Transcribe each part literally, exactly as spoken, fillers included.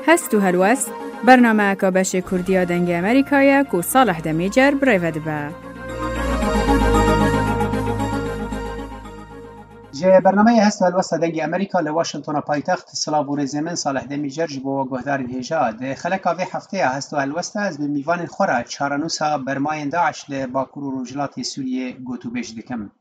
Hest û helwest, bernameyeka beşê Kurdî ya Dengê Amerîka ye ku Salih Demîcer bi rê ve dibe. Ji bernameyê Hest û Helwesta Dengê Amerîka li Washingtona paytext, silav û rêzê min Salih Demîcer ji bo we guhdarên hêja. Di xeleka vê hefteya Hest û Helwesta ez bi mîvanên xwe re çarenûsa bermayên DAIŞ li Bakur û Rojhilatê Sûriyê gotûbêj dikim.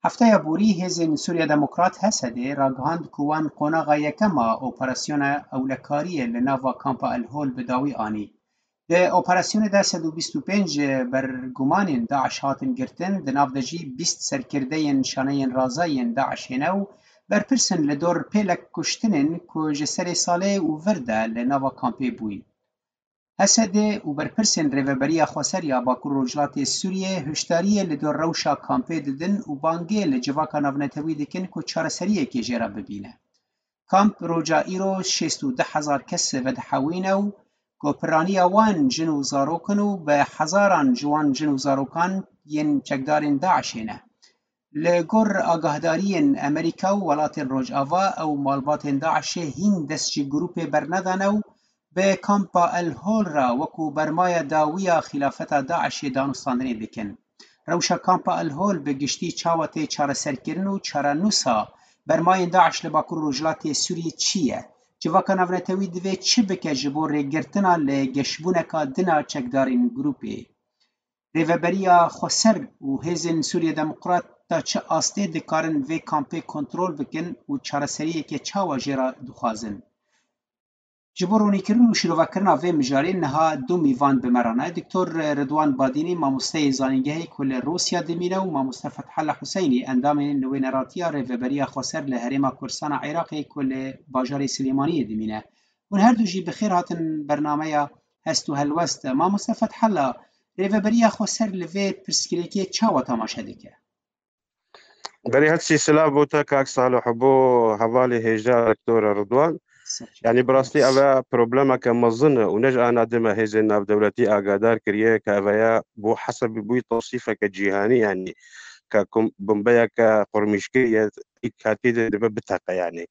Hefteya borî Hêzên Sûriya Demokrat, H S D, ragihand ku wan qonaxa yekem a operasyona ewlekariyê li nava kampa El Hol bi dawî anî. Di operasyonê de sed û bîst û pênc bergumanên DAIŞ hatin girtin, di nav de jî bîst serkirdeyên şaneyên raza yên DAIŞê ne û berpirs in li dor pêlek kuştinên ku ji serê salê û vir de li nava kampê bûyî. H S D û berpirsên Rêveberiya Xweser ya Bakur Rojhilatê Sûriyê hişdariyê li dor rewşa kampê didin û bangê li civaka navnetewî dikin ku çareseriyekê jê re bibîne. Kamp roja îro şêst û du hezar kes vedihewîne û ku piraniya wan jin û zarok in û bi hezaran ji wan jin û zarokan yên çekdarên DAIŞê ne. Li gor agahdariyên Amerîka û welatên Rojava, ew malbatên DAIŞê hîn dest ji grûpê bernedane û bi kampa El Hol re wekû bermaya dawî ya xîlafeta DAIŞê danûstandinê dikin. Rewşa kampa El Hol bi giştî çawa tê çareserkirin û çarenûsa bermayên DAIŞ li Bakur û Rojhilatê Sûriyê çi ye? Civaka navnetewî divê çi bike ji bo rêgirtina li geşbûneka din a çekdarên grûpê? Rêveberiya Xweser û Hêzên Sûriye Demokrat ta çi astê dikarin vê kampê kontrol bikin û çareseriyeke çawa jê re dixwazin? Ji bo ronîkirin û şîrovekirina vê mijarê niha du mîvan bi me re ne. Doktor Ridwan Badînî, mamosteyê zanîngehê ku li Rûsya dimîne û mamoste Fethullah Huseynî, endamê nûneratiya Rêveberiya Xweser li Herêma Kurdistan a Iraqê ku li bajarê Silêmaniyê dimîne. Hûn her du jî bi xêr hatin bernameya Hest û Helwest. Mamoste Fethullah, Rêveberiya Xweser li vê pirsgirêkê çawa temaşe dike? Berî her tiştî silav bo te kak Salih û bo hevalê hêja Doktor Ridwan. Ser çavê. Yanî bi rastî ev e problemeke mezin e û ne ji ana din me hêzên navdewletî agahdar kiriye ke ev e ya bo hesebî bûyî tewsîfeke cîhanî, yanî ke kum-, bombeyeke qurmîşkirî ye, î katî de dibe biteqe yanî.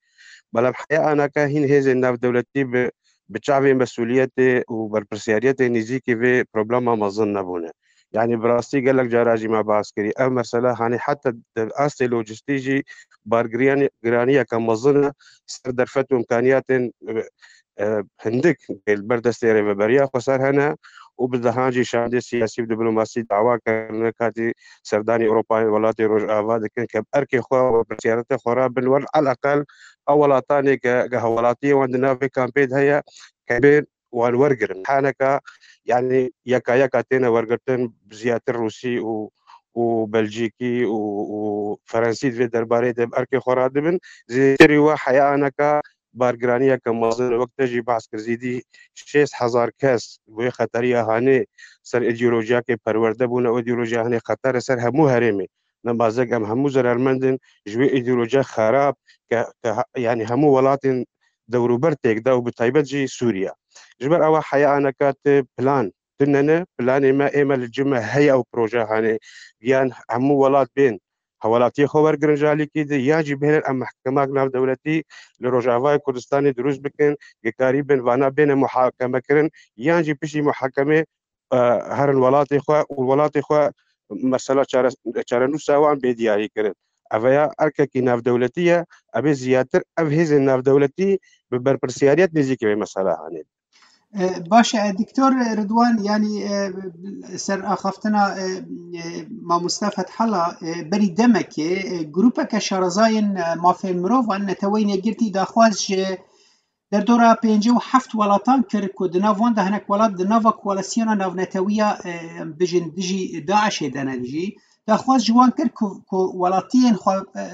Belam heya anaka hîn hêzên navdewletî bi, bi çavê mesûliyetê û berpirsiyariyetê nêzîkî vê problema mezin nebûne. Yanî bi rastî gelek cara jî me behs kirî. Ev mesela hanê heta di astê lojistî jî bargiriyane-, giraniyeke mezin e ser derfet û îmkaniyatên, e, e, hindik li ber destê Rêveberiya Xweser hene û bi dehan jî şandê siyasî û diplomasî dawa kirine katî serdanî Ewropayê welatê Rojava dikin ke bi erkê xwe û berpirsiyariyetê xwe re bin wer eleqel ew welatanê ke, ke hevwelatiyê wan di nav vê kampê de heye ke bên wan wergirin. Haneka, yanî yeka yeka têne wergirtin, ziyadtir Rûsî û, û Belcîkî û, û Ferensî di vê derbarê de bi erkê xwe radibin. Zêdetirî we heya aneka bargiraniyeke mezin, wek te jî behs kir, zêdî şêst hezar kes wê xeteriya hanê ser îdeolojiyakê perwerde bûne û îdeolojiya hanê xeter e ser hemû herêmê. Nemazek em hemû zerarmend in ji wê îdeolojiya xerab ke, ke ha-, yanî hemû welatên dewrûber têk da û bi taybet jî Sûriye. Ji ber ewa heya aneka ti plan tune ne, planê me ê me li cim e heye ew proje hanê, yan hemû welat bên hevwelatiyê xwe wergirin ji alîkî de, yan jî bihêlin em mehkemak navdewletî li Rojavayê Kurdistanê dirûst bikin, ke karîbin vana bêne muhakemekirin, yan jî piştî muhakemê, e, herin welatê xwe û welatê xwe mesela çare-, çarenûsa wan bê diyarî kirin. Ev ya erkekî navdewletî ye, ev ê ziyadtir ev hêzên navdewletî bi berpirsiyariyet nêzîkî vê mesela hanê. E, baş e, Doktor Ridwan, yanî, e, ser axaftina, e, e, mamoste Fethullah, e, berî demekê, e, grûpeke şarezayên, e, mafên mirovan, Neteweyên Yekgirtî daxwaz ji derdora pêncî û heft welatan kir ku di nav wan de hinek welat di nava koalîsyona navnetewiya, e, em bijin dijî DAIŞê de ne jî, daxwaz ji wan kir ku, ku welatiyên xwe, e,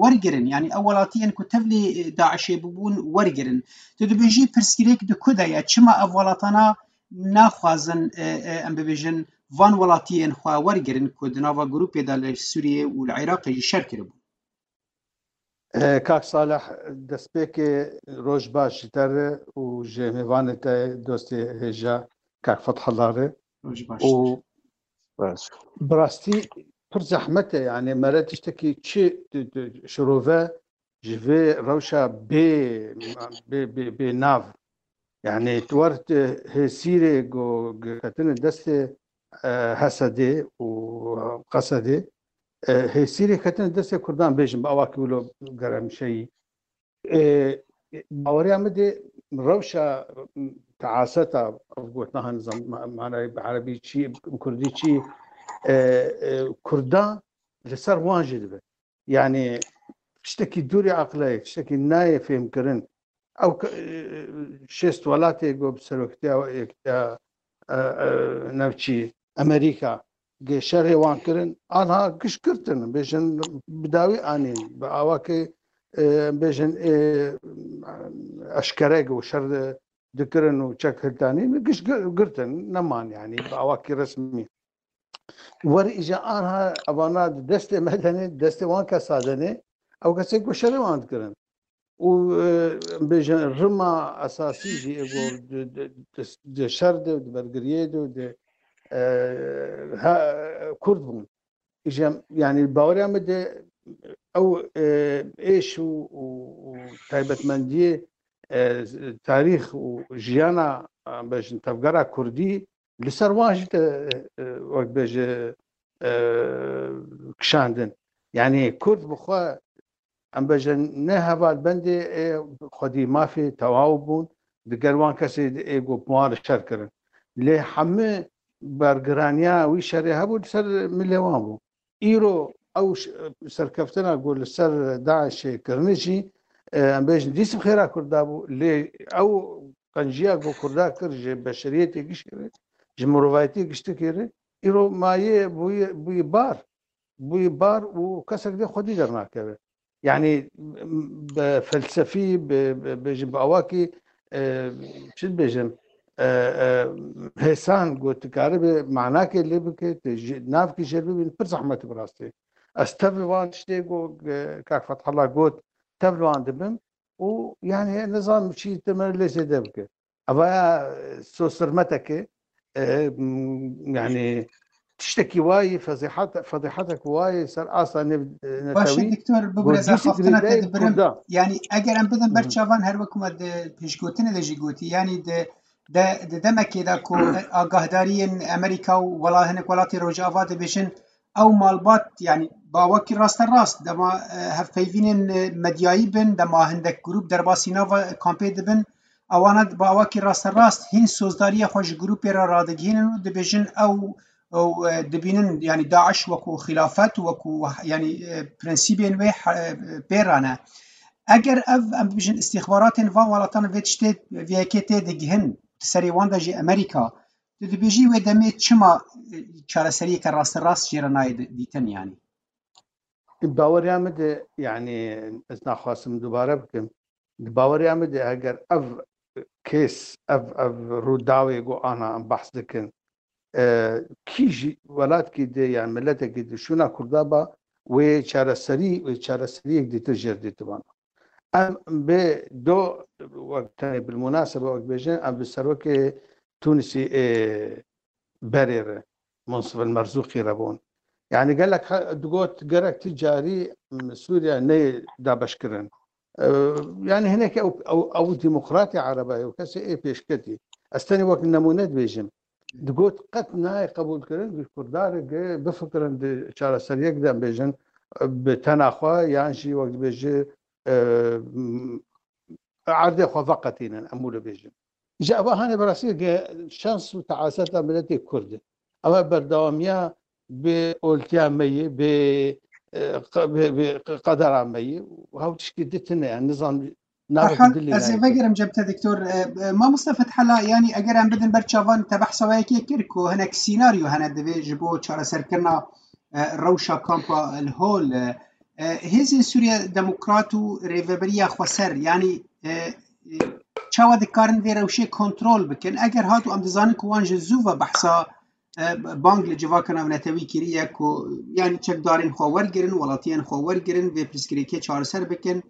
wergirin, yanî ew welatiyên ku tevlî, e, DAIŞê bûbûn wergirin. Tu dibêjî pirsgirêk di ku de ye? Çima ev welatana naxwazin, e, e, em bibêjin, van welatiyên xwe wergirin ku di nava grûpê de li Sûriyê û li Iraqê jî şer kiribûn? E, Kak Salih, destpêkê roj baş ji te re û ji mêvanê te dostê hêja Kak Fethullah re. Roj baş. Û Baş. Bi rastî pir zehmet e, yanî mere tiştekî çi tu, tu şirove ji vê rewşa bê, bê, bê, bê nav Yani tu war tu hêsîrê go, go ketine destê, e, Hesedê û Qesedê, e, hêsîrê ketine destê Kurdan bêjin, bi awakî wilo geremşeyî. E, baweriya min de rewşa teaseta, ev gotina, hani zam-, ma-, manayê bi erebî çi, bi kurdî çi, e, e, Kurdan li ser wan jî dibe. Yani tiştekî dûrî aqilê, tiştekî nayê fêhmkirin. Ew ke-, e, şêst welatê ku bi seroktiya Yekîtiya, e, e, Navçî, Amerîka, gê şerê wan kirin, anha giş girtin, bêjin bi dawî anîn, bi awakê, e, bêjin, e, eşkere ku şer dikirin û çek hiltanîn, giş gi-, girtin, neman yani, bi awakî resmî. Wer îja anha evana di destê me de ne, destê wan kesa de ne, ew kesê ku şerê wan dikirin. Û, e, bêjin rima esasî jî ê ku di, di, di, di şer de, di bergiriyê de, di, e, ha, Kurd bûn. Îja, yani baweriya min de ew, e, êş û, û, û taybetmendiyê, e, tarîx û jiyana, e, bêjin tevgera Kurdî li ser wan jî te, e, e, wek bêje, e, kişandin. Yani Kurd bi xwe, em bêjin, ne hevalbendê, e, xwedî mafê tewaw bûn, diger wan kesê ê ku bi wan re şer kirin. Lê hemû bergiraniya wî şerê hebû li ser milê wan bû. Îro ew ş-, serkeftina ku li ser DAIŞê kirine jî, e, em bêjin dîs bi xêra Kurda bû. Lê ew qenciya ku Kurda kir ji beşeriyetê giştî re, ji mirovayetiyê giştikê re, îro mayê bûye, bûye bar. Bûye bar û kesek dê xwedî dernakeve. Yani, m-, bi felsefî, bi, bi, bêjin bi awakî, e, çi dibêjin, e, e, hêsan ku tu karibe manakê lê bike, tu ji, navkî jê bibîn, pir zehmet e bi rastî. Ez tev li wan tiştê ku, e, kak Fethullah got, tev li wan dibim û yani nizanim çi te me lê zêde bike. Eva ya, e, sosirmeteke, e, m-, yani tiştekî wayî, fezîhat-, fedîhetek wayî ser asta nev-, e, Baş e, netewî, doktor, bibire, ez axaftina te girêdayî dibirim. Kurda. Yani eger em bidin ber Hı. çavan, her wekî me di pêşgotinê de jî gotî, yani di, de, di demekê de ku agahdariyên Amerîka û wela-, hinek welatê Rojava dibêjin, ew malbat, yani bawakî rasterast, dema, e, hevpeyvînên, e, medyayî bin, dema hindek grûp derbasî nava kampê dibin, ewana bi awakî rasterast hîn sozdariya xwe ji grûpê re radigihînin û dibêjin ew, ew, e, dibînin, yani DAIŞ wekû xilafet, wekû, yani, e, prensîbên wê he-, e, pê re ne. Eger ev, em bibêjin, îstîxbaratên van welatan vê tiştê, vê yekê tê digihin, di serê wan de jî Amerîka, tu dibêjî wê demê çima, e, çareseriyeke rasterast jê re nayê di-, dîtin, yani? Baweriya min de, yani, ez naxwasim dubare bikim. Di baweriya min de, eger ev kes, ev, ev rûdawê ku ana em behs dikin, e, kî jî welatkî de, yani miletekî de şûna Kurda ba, wê çareserî, wê çareseriyek dîtir jêr dîtibana. Em bê do, wek tenê bilmunasebe wek bêjin, em bi serokê Tunisî ê berê re, Munsif el Merzûqî re bûn. Yani gelek he-, digot gerek ti carî, m, Sûriye neyê dabeşkirin. E, yani hinek ew, ew, ew demokratê ereba ye, ew kesê ê pêşketî. Ez tenê wek nemûne dibêjim. Digot qet nayê qebûlkirin, ji Kurdan re ge bifikirin di çareseriyek de em bêjin, e, bi tena xwe yan jî wek dibêji, e, m, erdê xwe veqetînin, em wilo bêjin. Ji eva hane berasî ge şans û teaseta miletê Kurd e. Eva berdewamiya bi oltiya me yê, bi, e, qe-, bi, bi qedera me yê. Hew tişkî di tine, yani nizam navê Herhal, dilê ez ê nayê. Vegerim cem te, doktor. E, e, mamoste Fethela, yani eger em bidin ber çavan, te behsa wê yekê kir ku hinek sînaryo hene divê ji bo çareserkirina, e, rewşa kampa li Hol, e, e, hêzên Sûriye Demokrat û Rêveberiya Xweser, yani, e, e, çawa dikarin vê rewşê kontrol bikin? Eger hat û em dizanin ku wan ji zû ve behsa, e, bang li civaka navnetewî kiriye ku, yani çekdarên xwe wergirin, welatiyên xwe wergirin, vê pirsgirêkê çareser bikin.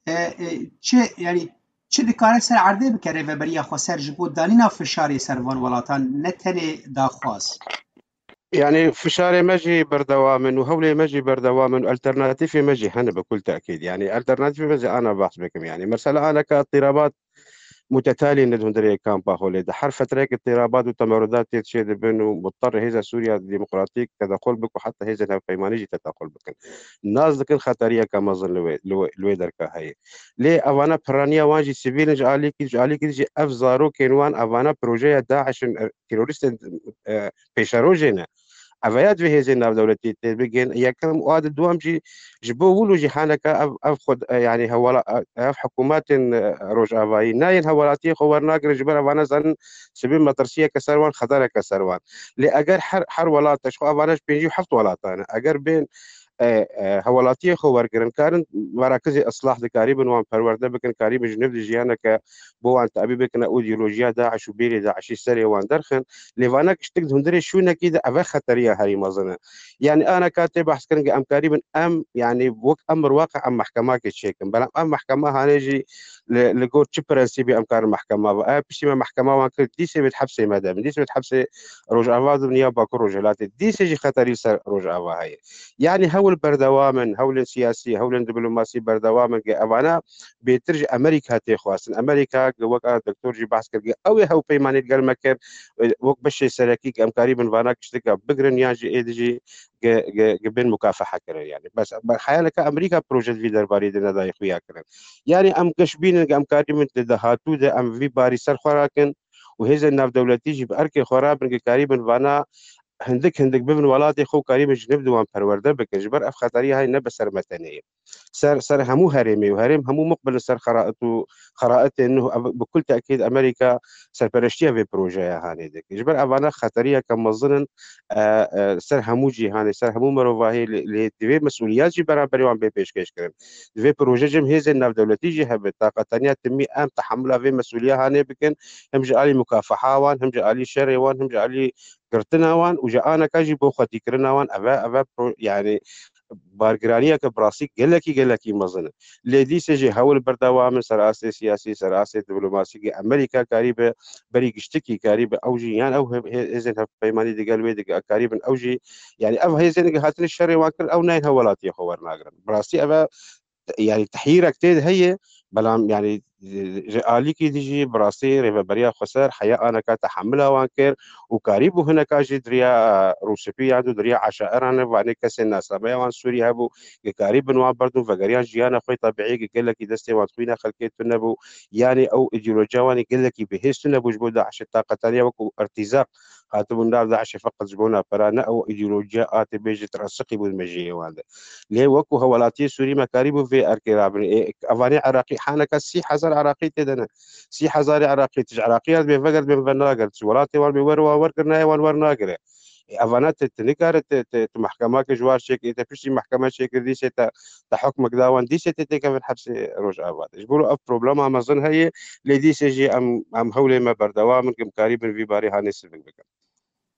E, e, çi, yani çi dikare ser erdê bike Rêveberiya Xweser ji bo danîna fişarê ser van welatan, ne tenê daxwaz? Yani fişarê me jî berdewam in û hewlê me jî berdewam in û alternatîfê me jî hene bi kul tekîd. Yani alternatîfê me jî ana behs bikim. Yani mesela aneka îtîrabat mutetalî ne di hundirê kampa Holê de. Her fetreyeke îtirabat û temerrudat tê çê dibin û mutter hêza Sûriya Demokratîk tedaxul bik û heta hêzên hevpeymanî jî tedaxul bikin. Nas dikin xeteriyeke mezin li wê, li wê, li wê derka heye. Lê evana piraniya wan jî sivîl in, ji alîkî, ji alîkî jî ev zarokên wan, evana projeya DAIŞ in, e, terorîstên, e, pêşerojê ne. Ev ya divê hêzên navdewletî tê bigên. Yekem û a di duwam jî ji bo wilo jî haneka ev, ev xwe, e, yanî hewala, e, ev hikûmetên, e, rojavayî nayên hewelatiyê xwe wernagirin, ji ber evana zanin sibê metirsiyeke ser wan, xetereke ser wan. Lê eger her, her welata, ji xwe evana ji pêncî û heft welatan e, eger bên, e, e, hewelatiyê xwe wergirin, karin merakizê islah dikarîbin wan perwerde bikin, karîbin ji nû di jiyaneke bo wan tabî bikin, ew îdeolojiya DAIŞ û bêrê DAIŞî serê wan derxin. Lê vana giştik di hundirê şûnekî de eve xeteriya herî mezin e. Yanî ana ka tê behs kirin ki em karîbin em, yanî wek emir waqi em mehkemakê çêkin. Belam ev mehkema hanê jî li, li gor çi prensîbê em karin mehkema ve? Ev piştî me mehkema wan kir, dîsê wê di hepsê me de bin. Dîsê wê di hepsê Rojava de bin ya Bakur Rojhilatê. Dîsê jî xeterî li ser Rojava heye. Yanî hewl berdewam in, hewlên siyasî, hewlên diplomasî berdewam in, ki evana bêtir ji Amerîka tê xwestin. Amerîka, ki wek a doktor jî behs kir, ki ew ê hewpeymanî li gel me kir, wek beşê serekî, ki em karîbin vana giştika bigirin, yan jî êdî jî ki, ki, ki bên mukafeha kirin. Yanî bes, be-, xeyaleke Amerîka proje di vî derbarî de nedayê xuya kirin. Yanî em geş bînin, ki em karîbin di dahatû de em vî barî ser xwe rakin û hêzên navdewletî jî bi erkê xwe rabin, ki karîbin vana hindik hindik bibin welatê xwe û karîbin ji nû di wan perwerde bikin. Ji ber ev xeterî hay ne bi ser me tenê ye. Ser, ser hemû herêmê û herêm hemû muqbil in ser xerait û xeraitên nû. Ev bi kul tekîd Amerîka serpereştiya vê projeya hanê dike. Ji ber evana xeteriyeke mezin in, e, e, ser hemû cîhanê, ser hemû mirovahiyê, lê, lê divê mesûliyet jî beraberî wan bê pêşkêş kirin. Divê proje jî hêzên navdewletî jî hebe. Taqetaniya timî em tehemula vê mesûliya hanê bikin, hem ji alî mukafeha wan, hem ji alî şerê wan, hem ji alî girtina wan û ji aneka jî bo xwedîkirina wan. Eve, eve pro-, yanî bargiraniyeke bi rastî gelekî, gelekî mezin e. Lê dîsê jî hewl berdewam in ser astê siyasî, ser astê diplomasî, ki Amerîka karîbe berî giştikî karîbe ew jî, yan ew he-, he-, hêzên hevpeymanî digel wê dike, karîbin ew jî, yanî ev hêzên ki hatine şerê wan kirin, ew nayên hewelatiyê xwe wernagirin. Bi rastî eve yanî tehyîrek tê de heye, belam yanî, e, ji alîkî dî jî bi rastî Rêveberiya Xweser heya aneka tehemila wan kir û karîbû hineka jî di riya, e, rûspî yan di riya eşaeran, vanê kesên nasnameya wan Sûrî hebû, ki karîbin wan berdin vegeriyan jiyana xwe tebîî, ki gelekî destê wan xwîna xelkê tune bû, yanî ew îdeolojiya wan ê gelekî bihêz tune bû ji bo DAIŞê. Taqetaniya wekû irtîzaq hatibûn nav DAIŞê feqet ji bona pera, ne ew îdeolojiya a tê bêjî trasiqî bû di mejiyê wan de. Lê wekû hewelatiyê Sûrî me karîbû vê erkê rabin. Ê, evanê Iraqî, haneka sî hezar Iraqî tê de ne. Sî hezarê Iraqî, tu ji Iraqiya dibê veger, dibê venager. Tu ji welatê wan bê wer wan wergir, nayê wan wernagire. Ê, evana te, te nikare te, te, tu mehkemake ji war çêkirî, te piştî mehkeme çêkirdî, sê te, te hukmek da wan, dîsê tê têkevin hepsê Rojava de. Ji bo ev problema mezin heye, lê dîsê jî em, em hewlê me berdewam in, ki em karîbin vî barê hanê sivik bikin.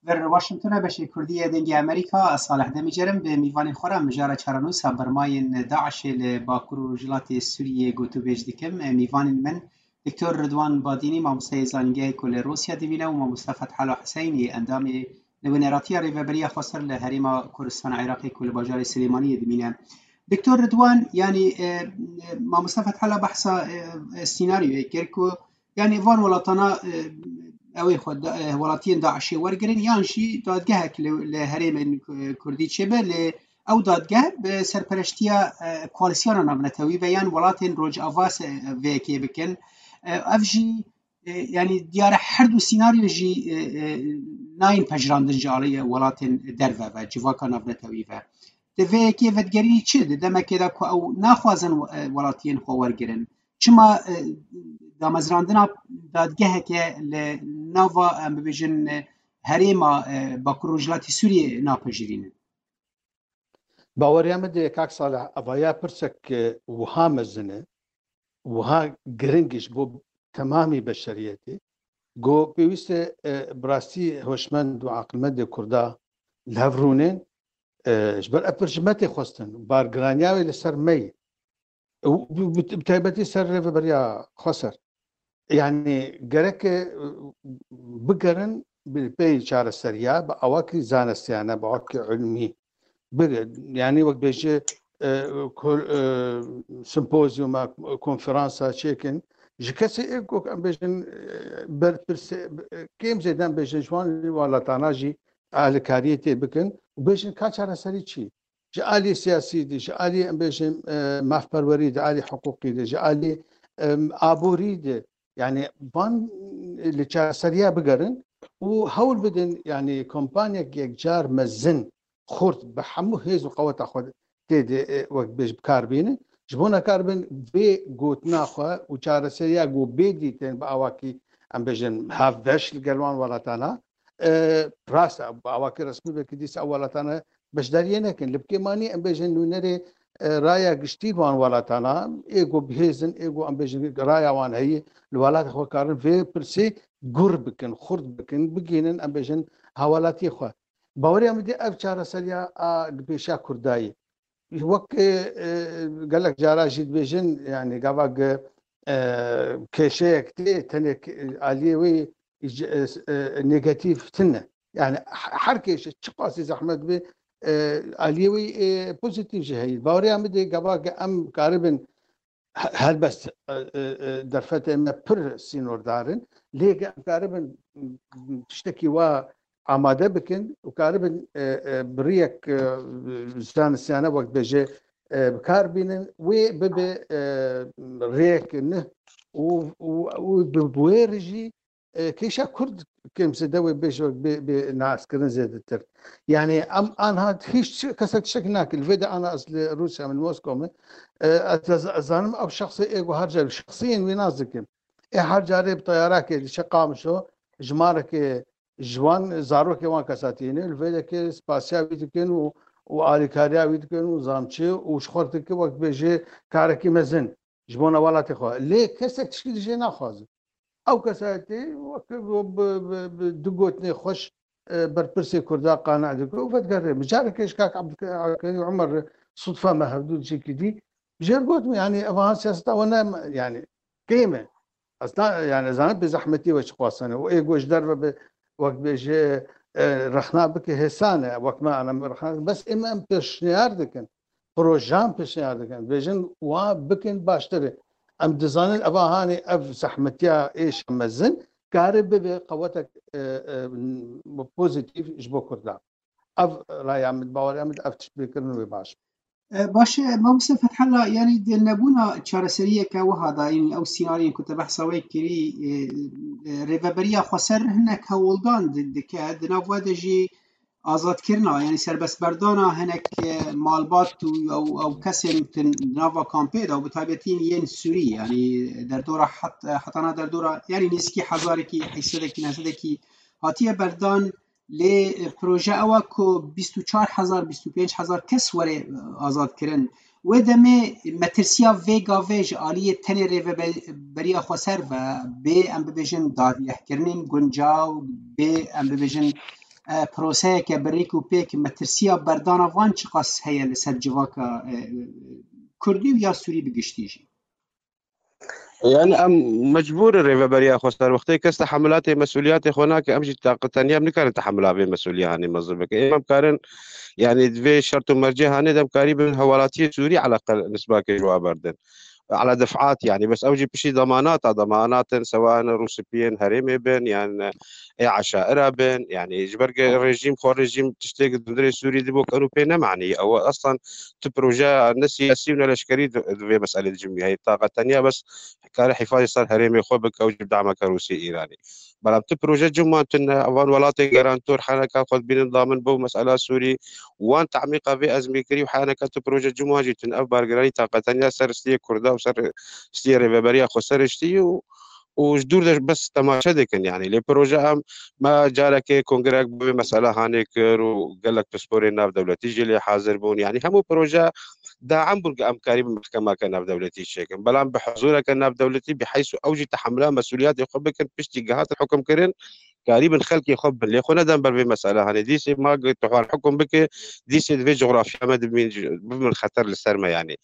Vir Washington e, beşê Kurdî yê Dengê Amerîka, ez Salih Demîcer im, bi mîvanên xwe re mijara çarenûsa bermayên DAIŞê li Bakur û Rojhilatê Sûriyê gotûbêj dikim. Mîvanên min, Doktor Ridwan Badînî, mamosteyê zanîngehê ku li Rûsya dimîne, û mamoste Fethala Huseynî, endamê Nûneratiya Rêveberiya Xweser li Herêma Kurdistana Iraqê ku li bajarê Silêmaniyê dimîne. Doktor Ridwan, yanî, e, e, mamoste Fethala behsa, e, e, sînaryoyê kir ku, yanî, van welatana, e, ew ê xwe da-, e, welatiyên DAIŞê wergirin, yan jî dadgehek li, li herêmên, e, Kurdî çêbe, lê ew dadgeh bi serpereştiya, e, koalîsyona navnetewî ve yan welatên Rojava se-, vê yekê bikin. E, ev jî, e, yanî diyar e, her du sînaryo jî, e, e, nayên pejirandin ji aliyê welatên derve ve, civaka navnetewî ve. Di vê yekê vedigerî çi? Di demekê de ku ew naxwazin, e, welatiyên xwe wergirin. Çima, e, damezrandina dadgeheke li nava, em bibêjin, e, herêma, e, Bakur Rojhilatê Sûriyê napejirînin? Baweriya min de kak Salih, evaya pirsek, e, wiha mezin e, wiha giring e ji bo temamî beşeriyetê, ku pêwîst e, e, bi rastî hoşmend û aqilmendê Kurda li hev rûnên, e, ji ber ev pir ji me tê xwestin, bargiraniya wê li ser me ye. Û bi, bi, bi taybetî ser rêveberiya Xweser. Yanî gerek e, e, bigerin bi pey çareseriya, bi awakî zanistiyane, bi awakî ilmî. Bi, yanî wek bêje, e, kol-, e, simpozyuma, konferansa çêkin, Ji kesê ê ku em bêjin, e, berpirsê, e, kêm zêde em bêjin ji wan welatana jî alikariyê tê bikin û bêjin ka çareserî çi? Ji alî siyasî de, ji alî em bêjin, e, mafperwerî de, alî hiqûqî de, ji alî, e, aborî de, yani van li çareseriya bigerin û hewl bidin, yani kompanyek yekcar mezin, xurt, bi hemû hêz û qeweta xwe tê de, e, wek bêj bi kar bînin. Ji bo nekaribin vê gotina xwe û çareseriya ku bê dîtin bi awakî, em bêjin, hevbeş li gel wan welatana, e, rast e, bi awakî resmî belkî dîsa ew welatane beşdariyê nekin. Li bikêmanî em bêjin nûnerê, e, raya giştî wan welatana, ê ku bihêzin, ê ku em bêjin raya wan heyî, li welatê xwe karin vê pirsê gur bikin, xurt bikin, bigihînin em bêjin hawlatiyê xwe. Baweriya min dê ev çareseriya a pêşa Kurdayî. Wek, e, e, gelek cara jî dibêjin, yani gava ge, e, kêşeyek tê, tenê ke-, aliyê wê, e, e, negatif tine. Yani he-, her kêşe çiqasî zehmet be, e, aliyê wê, e, pozitif jî heye. Baweriya min dê gava ge em karibin he-, helbest, e, e, e, derfetê me pir sînordar in. Lê ge em karibin, m, m, tiştekî wa amade bikin û karibin, e, e, bi riyek, e, zanistiyane wek bêje, e, bi kar bînin, wê bibe, e, rêyek neh û, û, û bi, bi wê re jî, e, kêşa Kurd kêm zêde wê bêje wek bê, bê naskirin zêdetir. Yani em anha hiç kesek tiştek nake. Li vê de ana ez li Rûsya min, Moskow min, e, ez, ez, ez zanim ew şexsê ê ku her car şexsiyên wî nas dikim. Ê her carê bi teyarakê diçe Qamişlo, jimarekê ji wan, zarokê wan kesa tîne, li vê de ke spasiya wî dikin û, û alîkariya wî dikin û zamçi û ji xwe dike wek bêje karekî mezin ji bona welatê xwe. Lê kesek tişkî li jê naxwaze. Ew kesayetî wek bi, bi, bi, bi du gotinê xweş, e, berpirsê Kurda qane dike û vedigere. Min carekê ji kak Abdulkarim Umer re sudfe me hevdû cîkî dî. Jê re gotim, yani, ev ha siyaseta we ne, yani, kêm e. Aslında, yani, zanim bi zehmetî we çi xwastene. Û ê ku ji derve bi, wek bêje, e, rexna bike hêsan e. Wek me, ana, rexna, bes ê me em pêşniyar dikin. Projan pêşniyar dikin. Bêjin, wa bikin baştir e. Em dizanin, eva hanê ev zehmetiya êşa mezin kare bibe qewetek, e, e, pozitif ji bo Kurdan. Ev raya min, baweriya min, ev tiştpêkirin wê baş. E, baş e, Mamoste Fethullah, yani di nebûna çareseriyeke wiha de, yani ew sînaryoyên ku te behsa wê kirî, e, e, rêveberiya xweser hinek hewldan di-, dike, di nav we de jî azadkirina, yani serbestberdana hinek, e, malbat û ew, ew kesên di nava kampê de û bi taybetî yên Sûrî, yani derdora het-, hetana derdora, yani nêzîkî hezarekî, heysedekî, nehsedekî hatiye berdan. Lê, e, proje ew e ku bîst û çar hezar, bîst û pênc hezar kes were, e, azadkirin. Wê demê metirsiya vê gavê ji aliyê tenê rêveberiya xweser ve bê, em bibêjin, dadgehkirinên guncaw, bê, em bibêjin, e, proseyeke bi rêk û pêk, metirsiya berdana van çiqas heye li ser civaka, e, Kurdî û ya Sûrî bi giştî jî? Yani em mecbûr in rêveberiya xweser, wextê kes tehemulatê mesûliyatê xwe nake, em jî taqeteniya em nikarin tehemula vê mesûliya hanê mezin bikin. Ê em karin, yani vê şert û mercê hanê de em karî bin hewalatiyê Sûrî eleqel nisbakê ji wa berdin. Ala def'at, yani bes ew jî piştî demanata, demanatin sewan rûspiyên herêmê bin, yan ê eşaira bin, yani ji ber ku rejîm, xwe rejîm tiştê ku di hundirê Sûrî de bo kenu pê ne manî. Ew aslan tu proje ne siyasî û ne leşkerî di, di vê meselê de cimî heye. Taqeteniya bes kare hifazê ser herêmê xwe bike û ji dameke Rûsî Îranî. Belam tu proje cim wan tune, evan welatên garantor heneka xwe dibînin damin bo mesela Sûrî, wan temîqa vê ezmîkirî û heneka tu proje cim wan jî tune. Ev bargirayî taqeteniya ser stiyê Kurda û ser stiyê rêveberiya xweser ştî û û ji dûr de bes temaşe dikin, yani. Lê proje em, me carekê kongreyek bi vê mesela hanê kir û gelek pisporên navdewletî jî lê hazir bûn. Yani hemû proje daim bûn ku em karî bi mehkemeke navdewletî çêkin. Belam bi huzureke navdewletî bi heysu ew jî tehemila mesûliyetê xwe bikin, piştî gihatin hukimkirin, Karîbin xelkê xwe bin. Lê xwe neden ber vê mesela. Hanê dîsê ma tu xwar hukm bike, dîsê di vê coğrafya me dibin, bibin xeter li ser me yanî.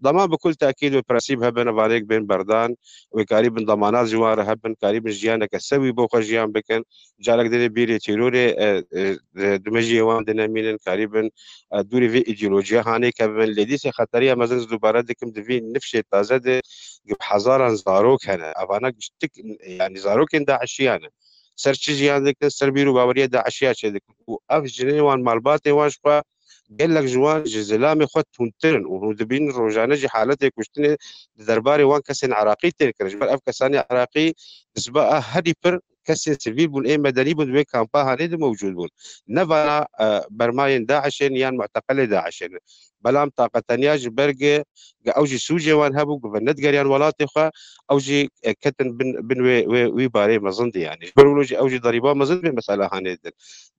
Dema bi kul tekîd û prensîb hebin, evanêk bên berdan, wê karîbin demanat ji wan re hebin, karîbin jiyaneke sewî bo xwe jiyan bikin. Carek dide bîrê terorê, e, e, e, di mejiyê wan de nemînin, karîbin, e, dûrê vê îdeolojiya hanê kevin. Lê dîsê xeteriya mezin ez dubare dikim, di vî nifşê taze de bi hezaran zarok hene. Evana giştik, yanî zarokên DAIŞiyan in. Ser çi jiyan dikin? Ser bîr û baweriya DAIŞiya çêdikin. Û ev jinê wan, malbatê wan ji xwe, gelek ji wan ji zilamê xwe tundtir in û hûn dibînin rojane jî haletê kuştinê di derbarê wan kesên Iraqî tên kirin. Ji ber ev kesanê Iraqî di siba a herî pir kesên sivîl bûn, ê medenî bûn, di wê kampa hanê de mewcûd bûn. Ne vana, e, bermayên DAIŞê ne yan muteqelê DAIŞê ne. Belam taqeteniya ji ber ge, ge ew jî sûcê wan hebû, ge ve nedigeriyan welatê xwe, ew jî, e, ketin bin, bin wê, wê, wî barê mezin de yanî. Ji ber wilo jî ew jî derîba mezin vê mesela hanê didin.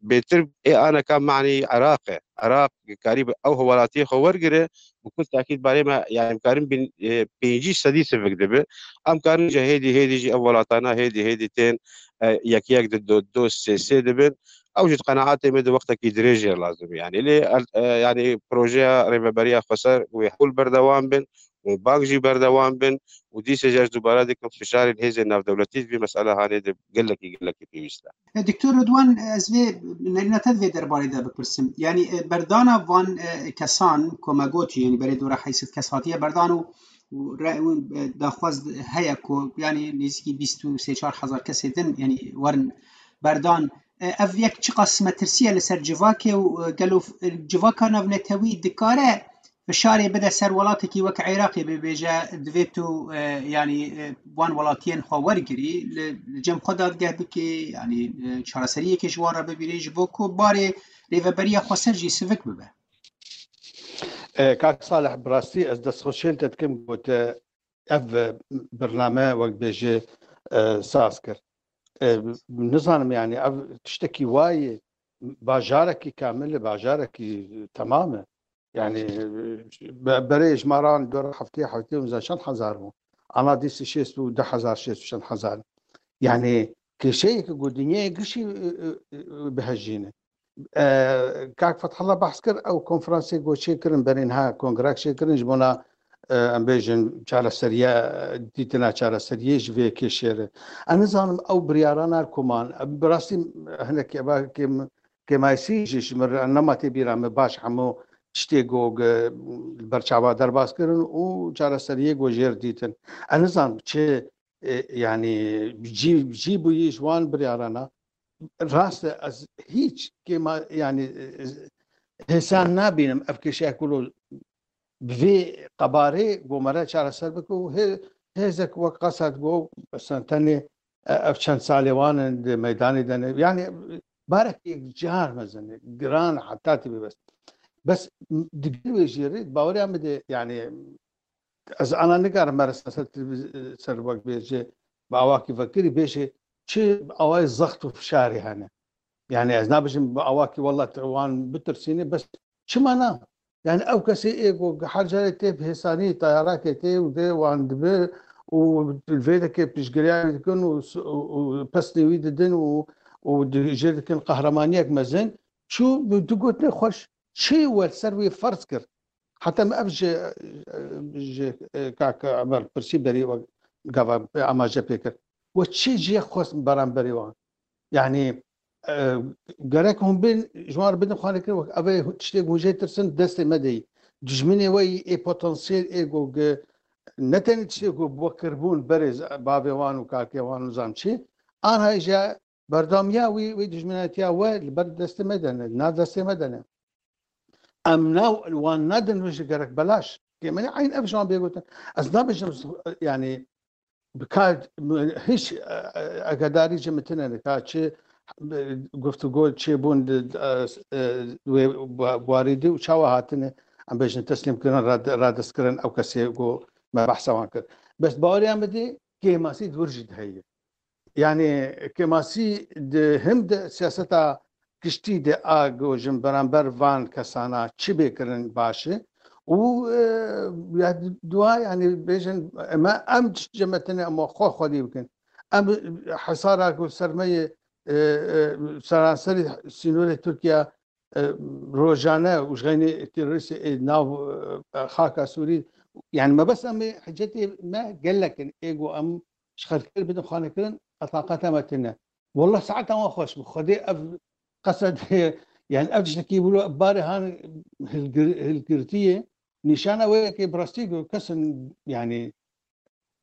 Bêtir ê aneka manî Iraq e. Iraq karî bi ew welatiyê xwe wergire, bi kul tekîd barê me, yanî em karin bin, e, pêncî sedî sivik dibe. Em karin jî hêdî hêdî jî ev welatana hêdî hêdî tên, e, yek yek di do, do sê sê dibin. Ew jî di qenaetê me di wextekî dirêj jê lazim e. Yanî lê, e, yanî projeya Rêveberiya Xweser wê hewl berdewam bin, wê bang jî berdewam bin û dîsê jî ez dubare dikim fişarên hêzên navdewletî di vî mesela hanê de gelekî, gelekî pêwîst e. E, Doktor Ridwan, ez vê nerîna te di vê derbarê de bipirsim. Yanî, e, berdana van, e, kesan, ku me got, yanî berê dora heyşt sed kes hatiye berdan û, û re-, û, e, daxwaz heye ku, yanî nêzîkî bîst û sê çar hezar kesê din, yanî werin berdan. E, ev yek çiqas metirsî ye li ser civakê û, e, gelo, e, civaka navnetewî dikare fişarê bide ser welatekî wek Iraqê, bibêje, divê tu, e, yanî, e, wan welatiyên xwe wergirî, li, li cem xwe dadgeh bikî, yanî, e, çareseriyekê ji wan re bibînî, ji bo ku barê rêveberiya xweser jî sivik bibe. E, kak Salih, bi rastî ez destxweşiyên te dikim ku te ev, e, birname wek bêjê, e, saz kir. E, nizanim, yanî ev tiştekî wayê, bajarekî kamil e, bajarekî temam e. Yanî, e, be-, berê ji me re an dora heftê, heftê û çend hezar bû. Ana dîsî şêst û du hezar, şêst û çend hezar. Yanî, kêşeyeke ku dinyayê gişî, e, e, e, bihejîne. E, Kak Fethullah behs kir, ew konferansê ku çêkirin, berê niha kongrek çêkirin, ji bona, e, em bêjin, çareseriya, dîtina çareseriyê ji vê kêşê re. Ez nizanim ew biryarana ku man, bi rastî hinek eva kêm-, kêmasî jî ji min re nema tê bîra min baş hemû tiştê ku, e, li ber çava derbas kirin û çareseriyê ku jêr dîtin. Ez nizanim çi, e, yanî cî, cî bûyî ji wan biryarana. Rast e, ez hîç kêma, yanî, e, hêsan nabînim ev kêşeya ku lo bi vê qebarê ku me re çareser bike û hê-, hêzek wek Esed ku, mesela tenê, e, ev çend salê wan in di meydanê de ne. Yanî, barek yekcar mezin e, giran e, heta tê bê bes. Bes, digel wê jêrê, baweriya min de, yanî, ez ana nikarim mere ser televîz-, ser wek bêje, bi awakî vekirî bêje, çi awayê zext û fişarê hene. Yanî ez nabêjim bi awakî wela te wan bitirsîne, bes çima na? Yanî ew kesê ê ku her carê tê bi hêsanî tayarakê tê û dê wan dibe û li vê deke piştgiriya wî dikin û s-, û, û pesnê wî didin û, û di-, jê dikin qehremaniyek mezin, çû bi du gotinê xweş çi we li ser wî ferz kir. Heta min ev ji, ji, e, kak Emer pirsî berî we gava amaje pê kir. We çi cihê xwest beramberî wan? Yanî, e, gerek hûn bên, ji wan re bidin xwarinkirin, wek ev ê tiştê ku hûn jê tirsin, destê me de yî. Dijminê we yî, ê potansiyel, ê ku gi-, ne tenê tiştê ku bi we kiribûn berê z-, bavê wan û kakê wan û zam çi, anha jî berdamiya wî, wî dijminatiya we li ber destê me de ne, nav destê me de ne. Em na, wan nadin wê jî gerek belaş. Kêmenî eyn ev ji wan bê gotin. Ez nabêjim, yanî, bi ka, hiç, e, e, agadarî ji min tine ne, ka çi, e, guftûgo çêbûn di, e, e, wê ba-, warî de û çawa hatine, em bêjin teslîm kirin, rad-, radest kirin ew kesê ku me behsa wan kir. Bes baweriya min de kêmasî di wir jî de heye. Yanî kêmasî di him de siyaseta giştî de a ku ji beramber van kesana çi bê kirin baş e û, e, ya dua, yanî bêjin, em, em cemetine em xwe xwedî bikin. Em hesara ku ser me yê e, e, seranserî sînorê Tirkiye, e, rojane û ji xeynî terorîstê ê nav, e, xaka Sûrî. Yani mebesta me, hicetê me gelek in. Ê ku em ji xelkê bidin xanekirin, qetaqeta me tune. Wallah saeta wan xweş bû. Xwedê ev qesedê, yani ev tiştekî bû, barê han hilgir-, hilgirtiyê. Nîşana wê yekê bi rastî ku kesin, yani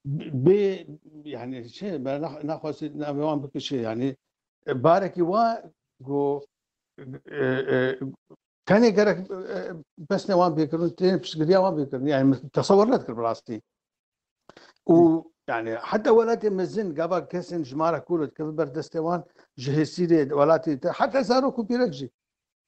bê, yani şey, ben na-, naxwazî navê wan bikişe, yani, e, barekî wa ku, e, e, tenê gerek, e, pesnê wan bêkirin, tenê piştgiriya wan bêkirin. Yani min tesewir nedikir bi rastî. Û yani heta welatê mezin gava kesên ji mara kûr dikeve ber destê wan, ji hêsîrê welatê te, heta zarok û pîrek jî.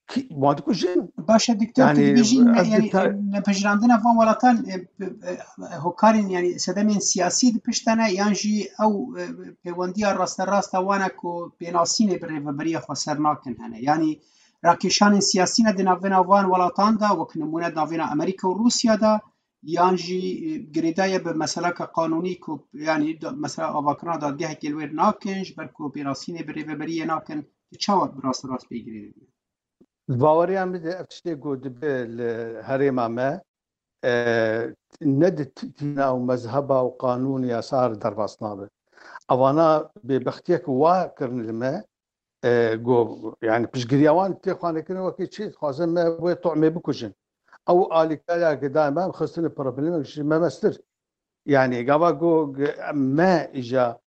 Kî, wan dikujin. Baş e, doktor, tu Yani, dibêjî, ne, ez yani, dita- nepejirandina van welatan, e, e, e, hokarên, yani, sedemên siyasî di pişt de ne, yan jî ew, e, pêwendiya rasterast a wan e ku pênasînê bi rêveberiya xweser nakin hene. Yani, rakêşanên siyasî ne di navbêna van welatan de, wek nimûne di navbêna Amerîka û Rûsya de, yan jî, e, girêdaye bi meseleke qanûnî ku, yani, da-, mesela avakirina dadgehekê li wê nakin, ji ber ku pênasînê bi rêveberiyê nakin, tu çawa bi rasterast pê girê dibî? Di baweriya min de ev tiştê ku dibe li herêma me, e, ne di t-, tîna û mezheba û qanûn û yasa re derbas nabe. Evana bêbextiyek wa kirin li me, e, ku, yani piştgiriya wan tê xwanekirin wekî çi, dixwazin me wê tomê bikujin. Ew alîkariya ku dayê me, em xistine problemek ji me mestir. Yani gava ku me îja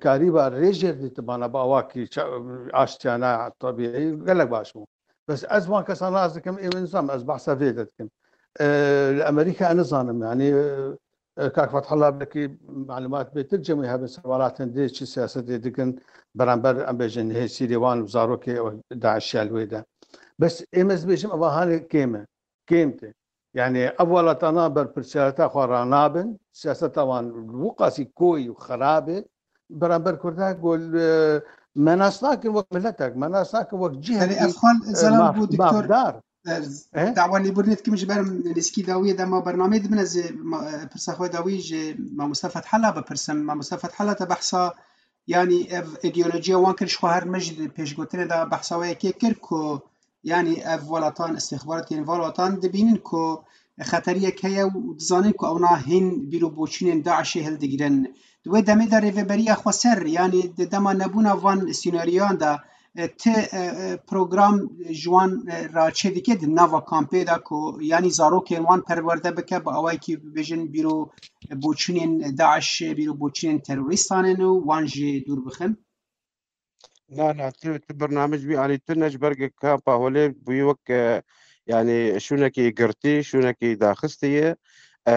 karîba rêjêr dîtibana bi awakî ça-, aştiyane tebîî gelek baş bû. Bes ez wan kesan nas dikim, ê min nizam, ez behsa vê de dikim. E, li Amerîka ez nizanim, yani, e, e, kak Fethullah belkî malumat bêtir cemî hebin ser welatên dê çi siyasetê dikin, beramber em bêjin hêsîrê wan û zarokê DAIŞ ya li wê de. Bes ê min ez bêjim, eva hanê kêm e. Kêm tê. Yani ev welatana berpirsiyareta xwe ranabin, siyaseta wan wî qasî koyî û xirab e, beramber Kurda ku, e, me nas nakin wek miletek, me nas nakin wek cihekî, Belê, ev xal e, zelal maf-, bû, doktor. Mafdar. E, E? Dawa lêbûrînê dikim ji ber nêzîkî dawiyê dema bernameyê dibin, ez ê ma-, e, pirsa xwe dawî ji mamoste Fethullah bipirsim. Mamoste Fethullah, te behsa, yanî ev îdeolojiya wan kir, ji xwe her me jî di pêşgotinê de behsa wê yekê kir ku, yanî ev welatan, istixbaratên van welatan dibînin ku xeteriyek heye û dizanin ku ewna hîn bîr û boçûnên DAIŞê hildigirin. Di wê demê de rêveberiya xweser, yanî di dema nebûna van sînaryoyan de, e, ti, e, e, program ji wan, e, re çêdike di nava kampê de ku, yanî zarokên wan perwerde bike, bi awayekî bibêjin bîr û boçûnên DAIŞ, bîr û boçûnên terorîstan in û wan jî dûr bixin? Na, na, tu, tu bernamij wî alî tune ji ber ku kampa Holê bûyî wek, e, yanî şûnekî girtî, şûnekî daxistî ye. E,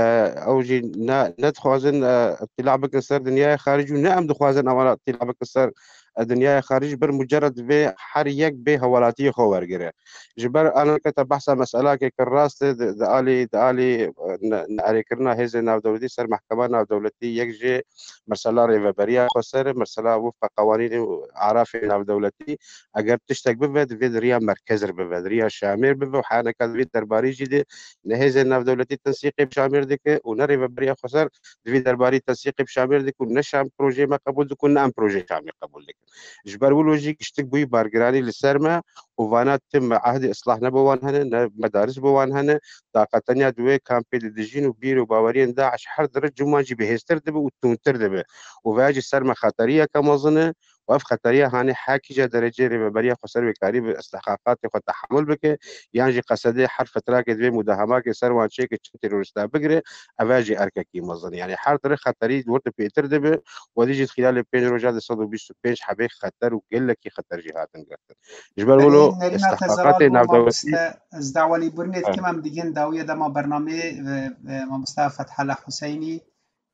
ew jî ne, nedixwazin, e, îtîla bikin ser dinyaya xaricî û ne em dixwazin ewana îtîla bikin ser, e, dinyaya xaricî, ji ber mucerred vê her yek bê hewelatiyê xwe wergire. Ji ber aneke te behsa meselakê kir, rast e, di, di alî, di alî, e, ne, neerêkirina hêzên navdewletî ser mehkema navdewletî, yek jê mesela rêveberiya xweser, mesela wifqa qewanînê û arafê navdewletî, eger tiştek bibe, divê di riya merkez re bibe, di riya Şamêr bibe û haneka di vê derbarî jî de ne hêzên navdewletî tensîqê bi Şamêr dike û ne rêveberiya xweser di vê derbarî tensîqê bi Şamêr dike û ne Şam projeyê me qebûl dike û ne em projeyê Şamê qebûl dikin. Ji ber wilo jî giştik bûyî bargiranî li ser me û vana tim me ehdê islah ne bo wan hene, ne medaris bo wan hene. Daqa tenya di wê kampê de dijîn û bîr û baweriyên DAIŞ her dire cuma jî bihêztir dibe û tûntir dibe. Û veya jî ser me xeteriyeke mezin e û ev xeteriya hanê hekî jî dereceyê rêveberiya xweser wê karî bi istihqaqatê xwe tehemul bike, yan jî qesedê her fitrakê divê mudahemakê ser wan çêke çi terorîsta bigire, ev e jî erkekî mezin. Yani her dire xeterî wir di pêtir dibe, werî jî di xîlalê pênc roja de sed û bîst û pênc hebê xeter û gelekî xeter jî hatin girtin. Ji ber Belê, wilo nerîna te zelal istihqaqatê bû, navdewletî mamoste. Ez dawa lêbûrînê dikim, em digihên dawiya dema bernameyê, e, e, mamoste Fethullah Huseynî,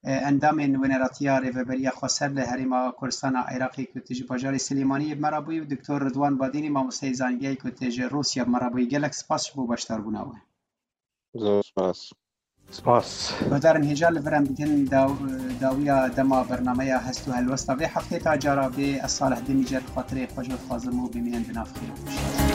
e, endamên Weneratiya Rêveberiya Xweser li Herêma Kurdistana Iraqê ku tu ji bajarê Silêmaniyê bi me re bûyî û Doktor Ridwan Badînî, mamosteyê zanîngehê ku tu ji Rûsya bi me re bûyî. Gelek spas ji bo beşdarbûna we. Zor spas. Spas. Guhdarên hêja, li vir em digihên daw-, dawiya dema bernameya Hest û Helwesta vê heftê. Ta cara bê, ez Salih Demîcer xatirê xwe ji we dixwazim û bimînin di nav xêr û xweşiyê.